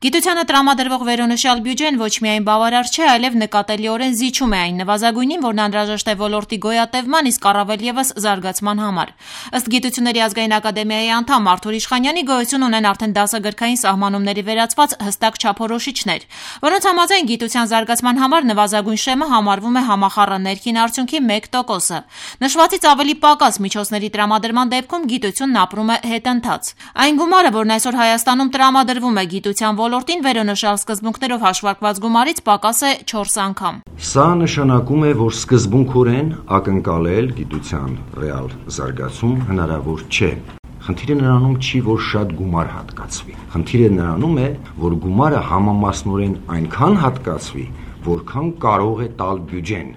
Գիտությանը տրամադրվող վերոնշյալ բյուջեն ոչ միայն բավարար չէ, այլև նկատելիորեն զիջում է այն նվազագույնին, որն անհրաժեշտ է ոլորտի գոյատևման, իսկ առավել ևս զարգացման համար։ Ըստ Գիտությունների ազգային ակադեմիայի անդամ Արթուր Իշխանյանի, գոյություն ունեն արդեն դասագրքային սահմանումների վերացված հստակ չափորոշիչներ, որոնց համաձայն գիտության զարգացման համար նվազագույն շեմը համարվում է համախառն ներքին արդյունքի 1%-ը։ Նշվածից ավելի պակաս միջոցների տրամադրման դեպքում գիտությունն ապրում է հետընթաց։ Այն գումարը, որն այսօր Հայաստանում տրամադրվում է գիտության ոլորտին, վերոնշյալ սկզբունքներով հաշվարկված գումարից պակաս է 4 անգամ։ Սա նշանակում է, որ սկզբունքորեն ակնկալել գիտության ռեալ զարգացում հնարավոր չէ։ Խնդիրը նրանում չի, որ շատ գումար հատկացվի։ Խնդիրը նրանում է, որ գումարը համամասնորեն այնքան հատկացվի, որքան կարող է տալ բյուջեն,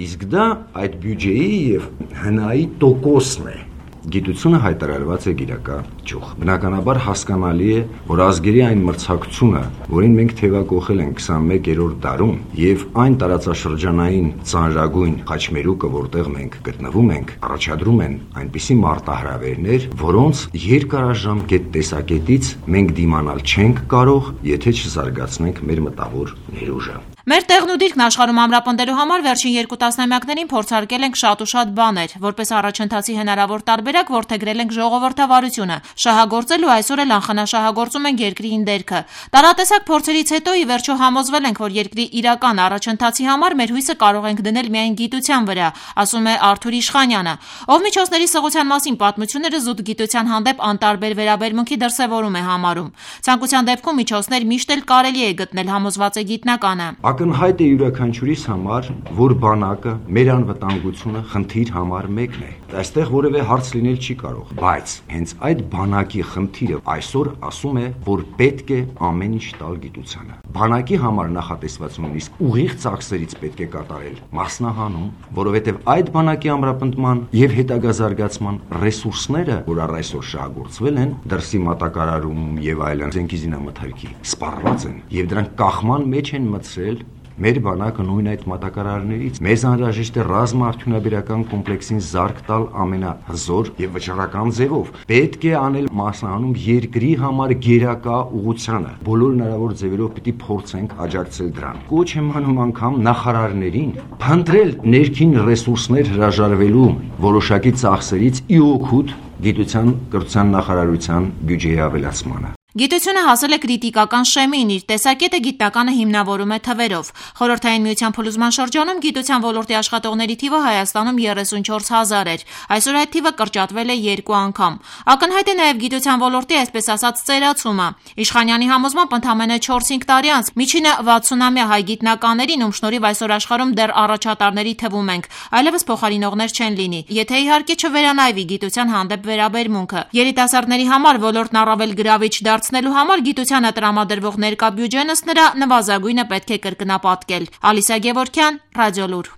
իսկ դա այդ բյուջեի եւ հնայի տոկոսն է։ Գիտությունը հայտարարված է գիրակա ճյուղ։ Բնականաբար հասկանալի է, որ ազգերի այն մրցակցությունը, որին մենք թևակողել ենք 21-րդ դարում, եւ այն տարածաշրջանային ծանրագույն խաչմերուկը, որտեղ մենք գտնվում ենք, առաջադրում են այնպիսի մարտահրավերներ, որոնց երկարաժամկետ տեսակետից մենք դիմանալ չենք կարող, եթե չզարգացնենք մեր մտավոր ներուժը։ Մեր տեղն ու դիրքն աշխարհում ամրապնդելու համար վերջին 2 տասնամյակներին փորձարկել ենք շատ ու շատ բաներ, որպես առաջընթացի հնարավոր տարբերակ որդեգրել ենք ժողովրդավարությունը, շահագործել ու այսօր էլ անխնաշահագործում ենք երկրի ինդերքը։ Տարատեսակ փորձերից հետո ի վերջո համոզվել ենք, որ երկրի իրական առաջընթացի համար մեր հույսը կարող ենք դնել միայն գիտության վրա, ասում է Արթուր Իշխանյանը, ով միջոցների սղության մասին պատմությունները զուտ գիտության հանդեպ անտարբեր վերաբերմունքի դրսևորում է համարում։ Ցանկության դեպքում միջոցներ միշտ էլ կարելի է գտնել, համոզված է գիտնականը։ Ակնհայտ է յուրաքանչյուրիս համար, որ բանակը, մեր անվտանգությունը խնդիր համար մեկն է։ Այստեղ որևէ հարց լինել չի կարող, բայց հենց այդ բանակի խնդիրը այսօր ասում է, որ պետք է ամեն ինչ տալ գիտությանը։ Բանակի համար նախատեսված նույնիսկ ուղիղ ծախսերից պետք է կատարել մասնահանում, որովհետև այդ բանակի ամրապնդման եւ հետագա զարգացման ռեսուրսները, որ առ այսօր շահագործվել են, դրսի մատակարարում եւ այլն, զենքի զինամթերքի սպառված են եւ դրանք կախման մեջ են մցրել մեր բանակը նույն այդ մատակարարներից։ Մեզ անհրաժեշտ է ռազմաարդյունաբերական կոմպլեքսին զարկ տալ ամենահզոր եւ վճռական ձևով։ Պետք է անել մասնահանում երկրի համար գերակա ուղղությանը։ Բոլոր հնարավոր ձևերով պիտի փորձենք աջակցել դրան։ Կոչ եմ անում անգամ նախարարներին փնտրել ներքին ռեսուրսներ հրաժարվելու որոշակի ծախսերից ի օգուտ գիտության կրթության նախարարության բյուջեի ավելացմանը։ Գիտությունը հասել է կրիտիկական շեմին, իր տեսակետը գիտնականը հիմնավորում է թվերով։ Խորհրդային միության փլուզման շրջանում գիտության ոլորտի աշխատողների թիվը Հայաստանում 34,000 էր, այսօր այդ թիվը կրճատվել է 2 անգամ։ Ակնհայտ է նաև գիտության ոլորտի այսպես ասած ծերացումը։ Իշխանյանի համոզմամբ ընդամենը 4-5 տարի անց միջինը 60-ամյա հայ գիտնականներին, ում շնորհիվ այսօր աշխարհում դեռ առաջատարների թվում ենք, այլևս փոխարինողներ չեն լինի, եթե իհարկե չվերանայվի գիտության հանդեպ վերաբերմունքը։ Երիտասարդների համար ոլորտն առավել գրավիչ դարձնելու համար գիտությանը տրամադրվող ներկա բյուջեն ըստ նրա նվազագույնը պետք է կրկնապատկել։ Ալիսա Գևորգյան, Ռադիոլուր։